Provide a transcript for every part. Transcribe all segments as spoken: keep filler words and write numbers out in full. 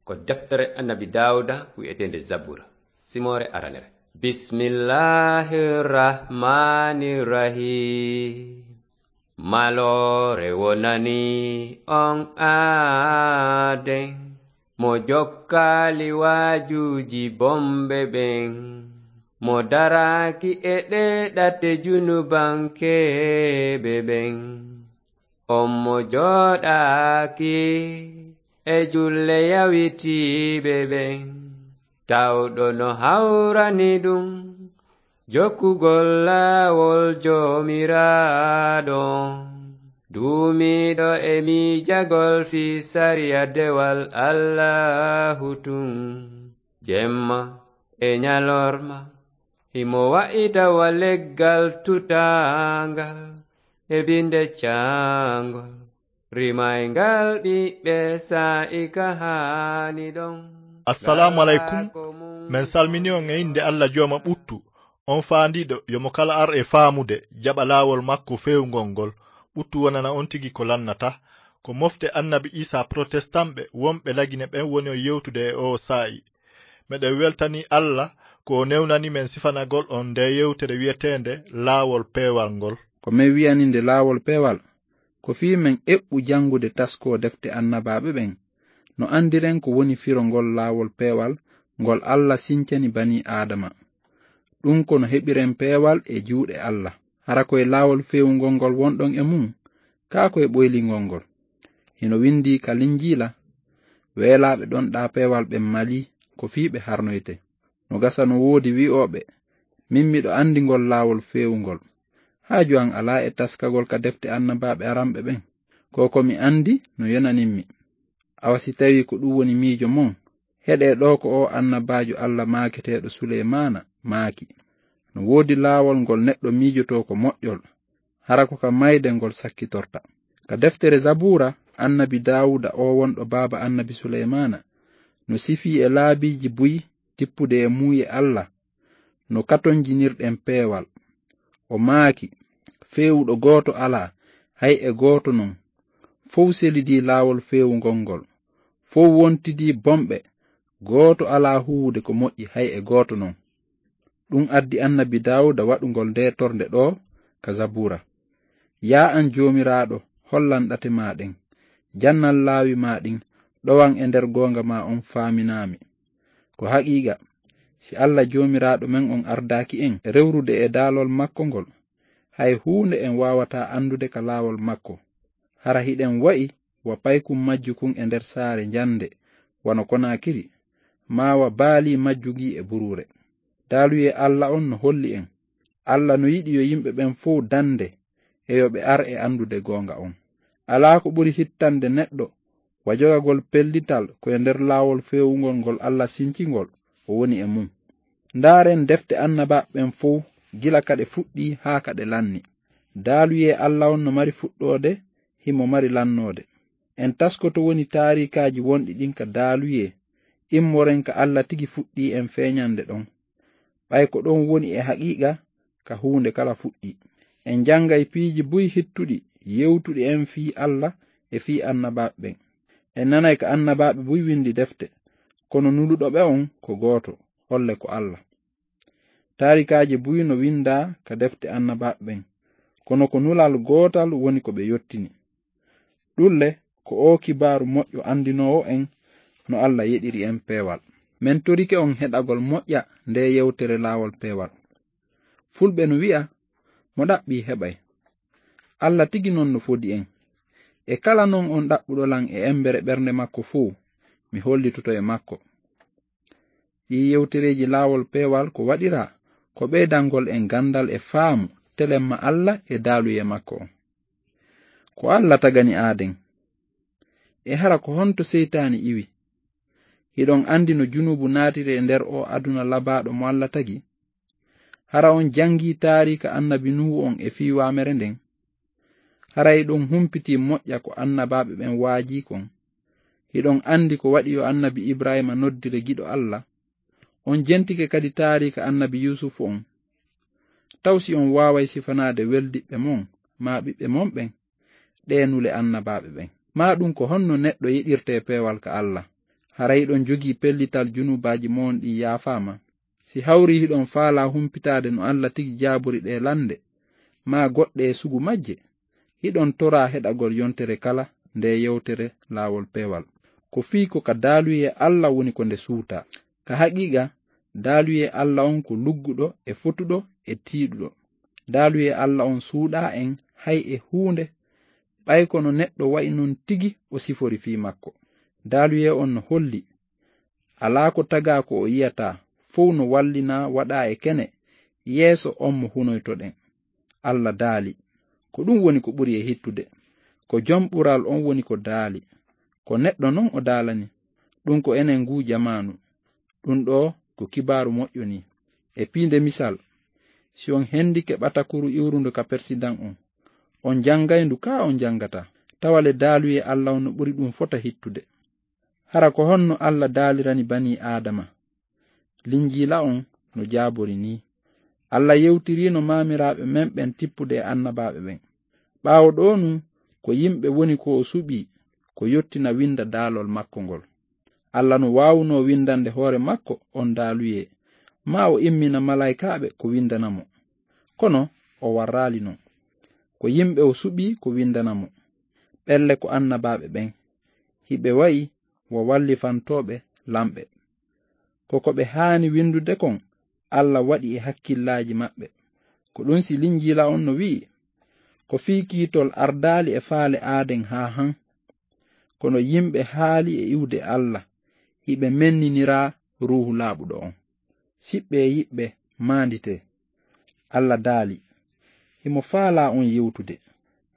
Ko deftere Annabi Daawuda wi'eteende Zabura, simoore aranere. Bismillahir Rahmanir Rahim. Maloore wonani on aaden, mo jokkaali waajuuji bomɓe ɓen, mo daraaki e ɗee ɗate junubankeeɓe ɓen. On mo jooɗaaki e julle yawitiiɓe ɓen, tawɗo no hawrani ɗum jokkugol laawol Joomiraaɗo, duumiiɗo e miijagol fii sariya dewal Allaahu tun, jemma e ñalorma. Himo wa'ita wa leggal tutaangal e binde caangol, rimayngal ɓiɓɓe saa'i ka haani ɗon. Assalaamu aleykum. Men salmini on e innde Alla Jooma ɓuttu, on faandiiɗo yo mo kala ar e faamude, jaɓa laawol makko feewngol ngol. Ɓuttu wonana on tigi ko lannata. Ko mofte Annabi Iisaa Protestanɓe wonɓe Lagine ɓen woni on yewtude e oo saa'i. Meɗen weltanii Alla ko o newnani men sifanagol on ndee yewtere wi'eteende Laawol Peewal ngol. Ko men wi'ani nde Laawol Peewal, ko fii men eɓɓu janngude taskoo defte annabaaɓe ɓen, no anndiren ko woni firo ngol laawol peewal ngol Alla sincani banii Aadama. Ɗun ko no heɓiren peewal e juuɗe Alla. Hara ko e laawol feewungol ngol wonɗon e mun? Kaa ko e ɓoylingol ngol? Hino windii ka Linjiila, "Weelaaɓe ɗonɗaa peewal ɓen malii, ko fii ɓe harnoyte." No gasa no woodi wi'ooɓe, "Min miɗo anndi ngol laawol feewungol. Haaju an alaa e taskagol ka defte annabaaɓe aranɓe ɓen. Ko ko mi anndi no yonanimmi. Awa si tawii ko ɗun woni miijo mon, heɗee ɗoo ko oo annabaajo Alla maaketeeɗo Suleymaana maaki. No woodi laawol ngol neɗɗo miijotoo ko moƴƴol, hara ko ka mayde ngol sakkitorta." Ka deftere Zabuura, Annabi Daawuda, oo wonɗo baaba Annabi Suleymaana, no sifii e laabiiji buy tippude e muuye Alla, no katonjinirɗen peewal. O maaki, "Feewuɗo gooto alaa, hay e gooto non. Fow selidii laawol feewungol ngol. Fow wontidii bonɓe. Gooto alaa huuwude ko moƴƴi, hay e gooto non." Ɗun addi Annabi Daawuda waɗugol ndee tornde ɗoo ka Zabuura. "Yaa an Joomiraaɗo, hollan ɗate maa ɗen. Jannan laawi maa ɗin, ɗowan e nder goonga maa on faaminaa mi. Ko haqiiqa, si Alla Joomiraaɗo men on ardaaki en rewrude e daalol makko ngol, hay huunde en waawataa anndude ka laawol makko. Hara hiɗen wa'i wa paykun majjukun e nder saare njande, wano Konaakiri, maa wa baalii majju ngii e buruure. Daaluyee Alla on no holli en, Alla no yiɗi yo yimɓe ɓen fow dande e yo ɓe ar e anndude goonga on. Alaa ko ɓuri hittande neɗɗo wa jogagol pellital ko e nder laawol feewungol ngol Alla sinci ngol o woni e mun. Ndaaren defte annabaaɓe ɓen fow, gila ka ɗe fuɗɗii haa ka ɗe lanni. Daaluyee Alla on no mari fuɗɗoode, himo mari lannoode. En taskoto woni taariikaaji wonɗi ɗin ka daaluyee, immoren ka Alla tigi fuɗɗii en feeñande ɗon. Ɓay ko ɗon woni e haqiiqa ka huunde kala fuɗɗii. En janngay piiji buy hittuɗi yewtuɗi en fii Alla e fii annabaaɓe ɓen. En nanay ka annabaaɓe buy windi defte, kono nuluɗo ɓe on ko gooto, holle ko Alla. Taarikaaji buy no windaa ka defte annabaaɓe ɓen, kono ko nulal gootal woni ko ɓe yottini. Ɗun le, ko oo kibaaru moƴƴo andinoowo en no Alla yeɗiri en peewal. Men torike on heɗagol moƴƴa ndee yewtere laawol peewal. Fulɓe no wi'a, "Mo ɗaɓɓii heɓay." Alla tigi non no fodi en. E kala non on ɗaɓɓuɗo lan e embere ɓernde makko fow, mi hollitoto e makko. Ɗii yewtereeji laawol peewal ko waɗiraa ko ɓeydangol en gandal e faamu telemma Alla e daaluyee makko on. Ko Alla tagani aaden. E hara ko honto seytaani iwi? Hiɗon andi no junuubu naatiri e nder oo aduna labaaɗo mo Alla tagi? Hara on jangii taariika annabi Nuuhu on e fii waamere nden? Hara hiɗon humpitii moƴƴa ko annabaaɓe ɓen waajii kon? Hiɗon andi ko waɗi yo annabi Ibraahiima noddire giɗo Alla? On jentike kadi taariika annabi Yuusufu on? Taw si on waaway sifanaade weldiɓɓe mon maa ɓiɓɓe mon ɓen ɗee nule annabaaɓe ɓen? Maa ɗun ko honno neɗɗo yeɗirtee peewal ka Alla? Hara hiɗon jogii pellital, junubaaji mo'on ɗin yaafaama. Si hawrii hiɗon faalaa humpitaade no Alla tigi jaabori ɗee lannde, maa goɗɗe e sugu majje, hiɗon toraa heɗagol yontere kala nde yewtere laawol peewal. Ko fii ko ka daaluyee Alla woni ko nde suutaa. Ka haqiiqa, daaluyee Alla on ko lugguɗo e fotuɗo e tiiɗuɗo. Daaluyee Alla on suuɗaa en hay e huunde, ɓay kono neɗɗo wa'i non tigi o sifori fii makko. Daaluyee on no holli, alaa ko tagaa ko o yi'ataa, fow no wallinaa waɗaa e kene yeeso on mo hunoytoɗen. Alla daali, ko ɗun woni ko ɓuri e hittude. Ko Jom Ɓural on woni ko daali. Ko neɗɗo non o daalani. Ɗun ko enen nguu jamaanu. Ɗun ɗoo ko kibaaru moƴƴo nii. E piinde misal, si on hendike ɓatakuru iwrundu ka persidan on, on janngay ndu kaa on janngataa? Tawa le daaluyee Alla on no ɓuri ɗun fota hittude. Hara ko honno Alla daalirani banii Aadama? Linjiila on no jaabori nii. Alla yewtiriino maamiraaɓe men ɓen tippude e annabaaɓe ɓen. Ɓaawo ɗoo nun, ko yimɓe woni ko o suɓii, ko yottina winda daalol makko ngol. Alla no waawunoo windande hoore makko on daaluyee, maa o immina malaykaaɓe ko windana mo. Kono o warraali non. Ko yimɓe o suɓii ko windana mo. Ɓelle ko annabaaɓe ɓen. Hiɓe wa'i wa wallifantooɓe lamɓe. Ko ko ɓe haani windude kon, Alla waɗi e hakkillaaji maɓɓe. Ko ɗun si Linjiila on no wi'i, ko fii kiitol ardaali e faale aaden haa han. Kono yimɓe haali e iwde Alla, hiɓe menninira Ruuhu Laaɓuɗo on. Siɓɓe e yiɓɓe, maanditee. Alla daali, himo faalaa on yewtude.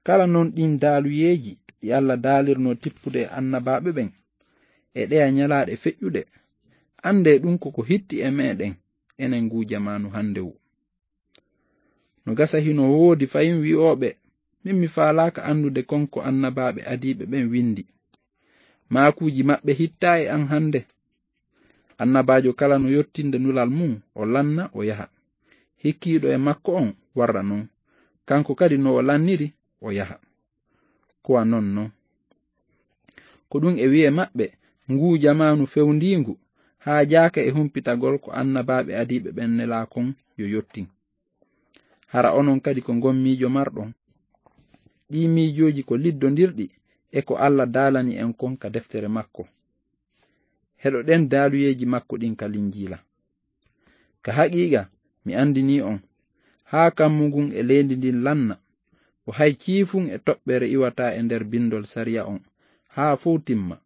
Kala non ɗin daaluyeeji ɗi Alla daalirnoo tippude e annabaaɓe ɓen, e ɗeya ñalaaɗe feƴƴuɗe, anndee ɗun ko ko hitti e meɗen, enen nguu jamaanu hannde wu. No gasa hino woodi fayin wi'ooɓe, min mi faalaaka anndude kon ko annabaaɓe adiiɓe ɓen windi. Maakuuji maɓɓe hittaa e an hannde. Annabaajo kala no yottinde nulal mun, o lanna, o yaha. Hikkiiɗo e makko on warra non. Kanko kadi no o lanniri, o yaha. Ko a non non. Ko ɗun e wi'e maɓɓe, nguu jamaanu fewndiingu, haajaaka e humpitagol ko annabaaɓe adiiɓe ɓen nelaa kon yo yottin. Hara onon kadi ko ngon miijo marɗon? Ɗii miijooji ko liddondirɗi e ko Alla daalani en kon ka deftere makko. Heɗoɗen daaluyeeji makko ɗin ka Linjiila. Ka haqiiqa, mi andinii on, haa kammu ngun e leydi ndin lanna, o hay ciifun e toɓɓere iwataa e nder bindol sariya on, haa fow timma.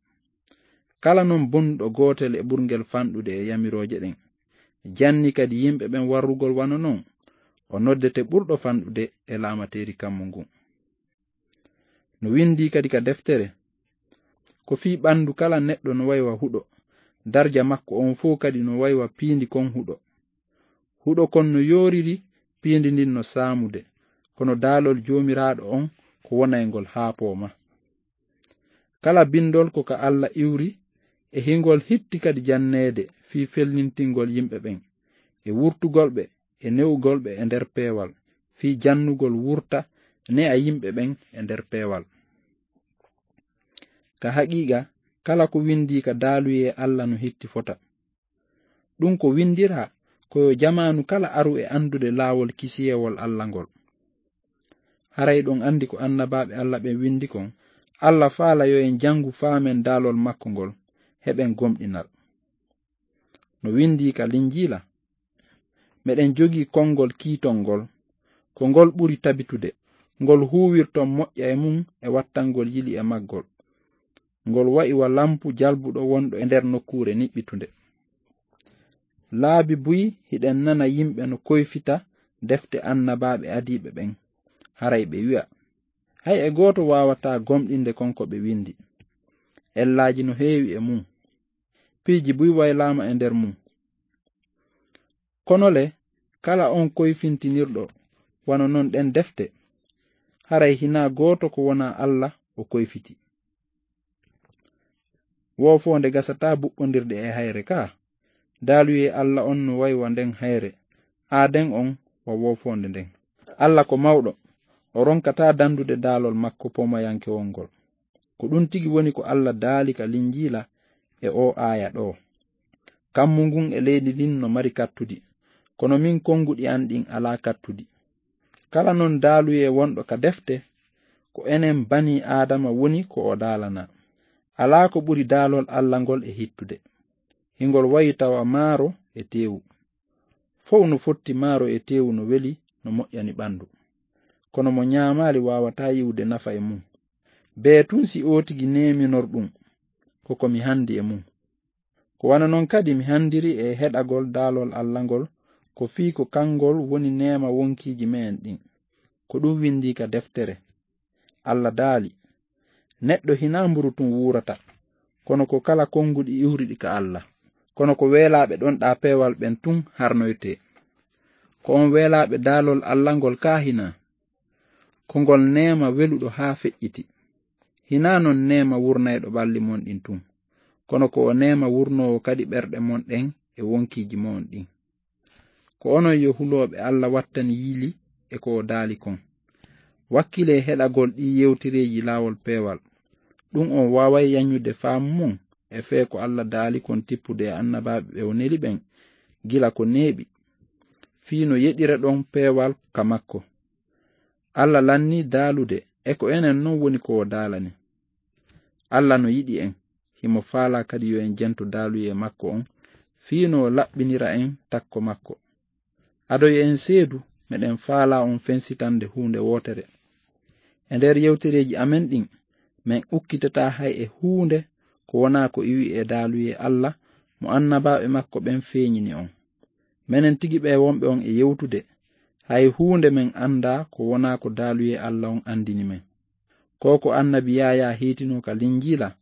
Kala non bonnuɗo gootel e ɓurngel fanɗude e yamirooje ɗen, janni kadi yimɓe ɓen warrugol wano non, o noddete ɓurɗo fanɗude e laamateeri kammu ngun. No windii kadi ka deftere, ko fii ɓandu kala neɗɗo no wa'i wa huɗo, darja makko on fow kadi no wa'i wa piindi kon huɗo. Huɗo kon no yooriri, piindi ndin no saamude, kono daalol Joomiraaɗo on ko wonayngol haa pooma. Kala bindol ko ka Alla iwri, e hingol hitti kadi janneede fii fellintingol yimɓe ɓen, e wurtugol ɓe, e ne'ugol ɓe e nder peewal, fii jannugol wurta ne'a yimɓe ɓen e nder peewal. Ka haqiiqa, kala ko windii ka daaluyee Alla no hitti fota. Ɗun ko windiraa ko yo jamaanu kala aru e andude laawol kisiyewol Alla ngol. Haray ɗon andi ko annabaaɓe Alla ɓen windi kon, Alla faala yo en jangu faamen daalol makko ngol, heɓen gomɗinal. No windii ka Linjiila, meɗen jogii konngol kiitol ngol, ko ngol ɓuri tabitude, ngol huuwirton moƴƴa e mun e wattangol yili e maggol. Ngol wa'i wa lampu jalbuɗo wonɗo e nder nokkuure niɓɓitunde. Laabi buy hiɗen nana yimɓe no koyfita defte annabaaɓe adiiɓe ɓen, haray ɓe wi'a, hay e gooto waawataa gomɗinde kon ko ɓe windi. Ellaaji no heewi e mun. Piiji buy waylaama e nder mun. Kono le, kala on koyfintinirɗo wano non ɗen defte, haray hinaa gooto ko wonaa Alla o koyfiti. Woofoonde gasataa buɓɓondirde e hayre ka. Daaluyee Alla on no wa'i wa nden hayre, aaden on wa woofoonde nden. Alla ko mawɗo, o ronkataa dandude daalol makko poomayankewol ngol. Ko ɗun tigi woni ko Alla daali ka Linjiila e oo aaya ɗoo. Kammu ngun e leydi ndin no mari kattudi, kono min konnguɗi an ɗin alaa kattudi. Kala non daaluyee wonɗo ka defte, ko enen banii Aadama woni ko o daalanaa. Alaa ko ɓuri daalol Alla ngol e hittude. Hingol wayi tawa maaro e teewu. Fow no fotti maaro e teewu no weli, no moƴƴani ɓanndu. Kono mo ñaamaali waawataa yi'ude nafa e mun. Bee tun si oo tigi neeminor ɗun, ko ko mi hanndi e mun. Ko wano non kadi mi hanndiri e heɗagol daalol Alla ngol, ko fii ko kangol woni neema wonkiiji me'en ɗin. Ko ɗun winndii ka deftere. Alla daali, "Neɗɗo hinaa mburu tun wuurata, kono ko kala konnguɗi iwruɗi ka Alla." Kono ko weelaaɓe ɗonɗaa peewal ɓen tun harnoytee. Ko on weelaaɓe daalol Alla ngol kaa hinaa? Ko ngol neema weluɗo haa feƴƴiti. Hinaa non neema wurnayɗo ɓalli mon ɗin tun, kono ko o neema wurnoowo kadi ɓerɗe mon ɗen e wonkiiji mon ɗin. Ko onon yo hulooɓe Alla wattani yili e ko o daali kon. Wakkilee heɗagol ɗii yewtereeji laawol peewal. Ɗun on waaway yañude faamu mon e fee ko Alla daali kon tippude e annabaaɓe ɓe o neli ɓen gila ko neeɓi, fii no yeɗira ɗon peewal ka makko. Alla lannii daalude e ko enen non woni ko o daalani. Alla no yiɗi en, himo faalaa kadi yo en jento daaluyee makko on, fii no o laɓɓinira en takko makko. Ado yo en seedu, meɗen faalaa on fensitande huunde wootere. E nder yewtereeji amen ɗin, men ukkitataa hay e huunde ko wonaa ko iwi e daaluyee Alla mo annabaaɓe makko ɓen feeñini on. Menen tigi ɓee wonɓe on e yewtude, hay huunde men anndaa ko wonaa ko daaluyee Alla on anndini men. Ko ko annabi Yaayaa hiitinoo ka Linjiila,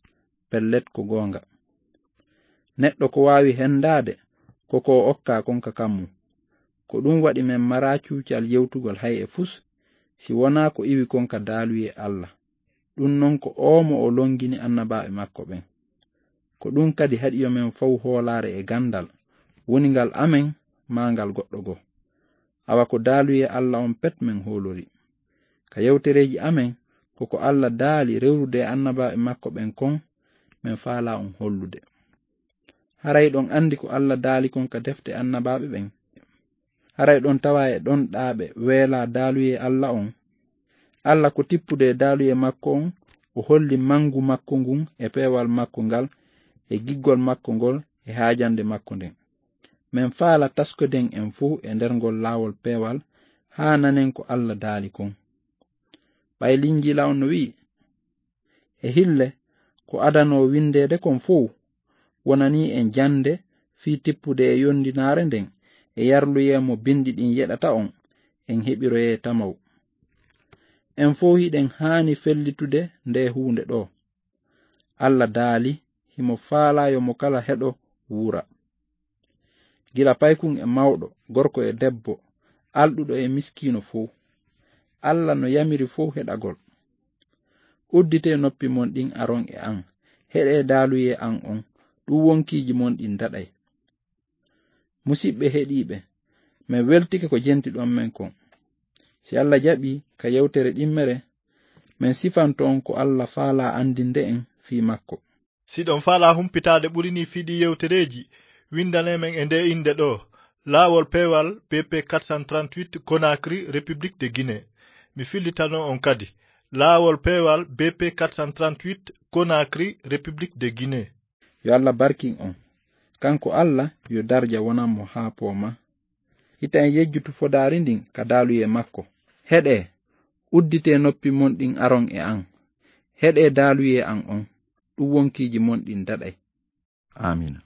pellet ko goonga. Neɗɗo ko waawi henndaade ko ko o okkaa kon ka kammu. Ko ɗun waɗi men maraa cuucal yewtugol hay e fus, si wonaa ko iwi kon ka daaluyee Alla. Ɗun non ko oo mo o longini annabaaɓe makko ɓen. Ko ɗun kadi haɗi yo men fawu hoolaare e gandal, woni ngal amen maa ngal goɗɗo goo. Awa ko daaluyee Alla on pet men hoolori. Ka yewtereeji amen, ko ko Alla daali rewrude e annabaaɓe makko ɓen kon, men faalaa on hollude. Haray ɗon anndi ko Alla daali kon ka defte annabaaɓe ɓen? Haray ɗon tawa e ɗonɗaaɓe weelaa daaluyee Alla on? Alla ko tippude e daaluyee makko on, o holli mangu makko ngun e peewal makko ngal, e giggol makko ngol, e haajande makko nden. Men faala taskoden en fow e nder ngol laawol peewal, haa nanen ko Alla daali kon. Ɓay Linjiila on no wi'i, e hille, ko adanoo windeede kon fow, wonanii en jannde fii tippude e yondinaare nden e yarluyee mo bindi ɗin yeɗata on, en heɓiroyee tamaw. En fow hiɗen haani fellitude ndee huunde ɗoo. Alla daali, himo faalaa yo mo kala heɗo wuura. Gila paykun e mawɗo, gorko e debbo, alɗuɗo e miskiino fow. Alla no yamiri fow heɗagol. Udditee noppi mon ɗin aron e an, heɗee daaluyee an on, ɗun wonkiiji mon ɗin daɗay. Musiɓɓe heɗiiɓe, men weltike ko jentiɗon men kon. Si Alla jaɓii, ka yewtere ɗimmere, men sifanto on ko Alla faalaa andinde en fii makko. Si ɗon faalaa humpitaade ɓuri nii fii ɗii yewtereeji, windanee men e ndee innde ɗoo, Laawol Peewal, B P quatre cent trente-huit, Conakry, République de Guinée. Mi fillitano on kadi, Laawol Peewal, B P quatre cent trente-huit, Conakry, République de Guinée. Yo Alla barkin on. Kanko Alla, yo darja wonan mo haa pooma. Hita en yejjutu fodaari ndin ka daaluyee makko. Heɗee, udditee noppi mon ɗin aron e an. Heɗee daaluyee an on, ɗun wonkiiji mon ɗin daɗay. Aamiina.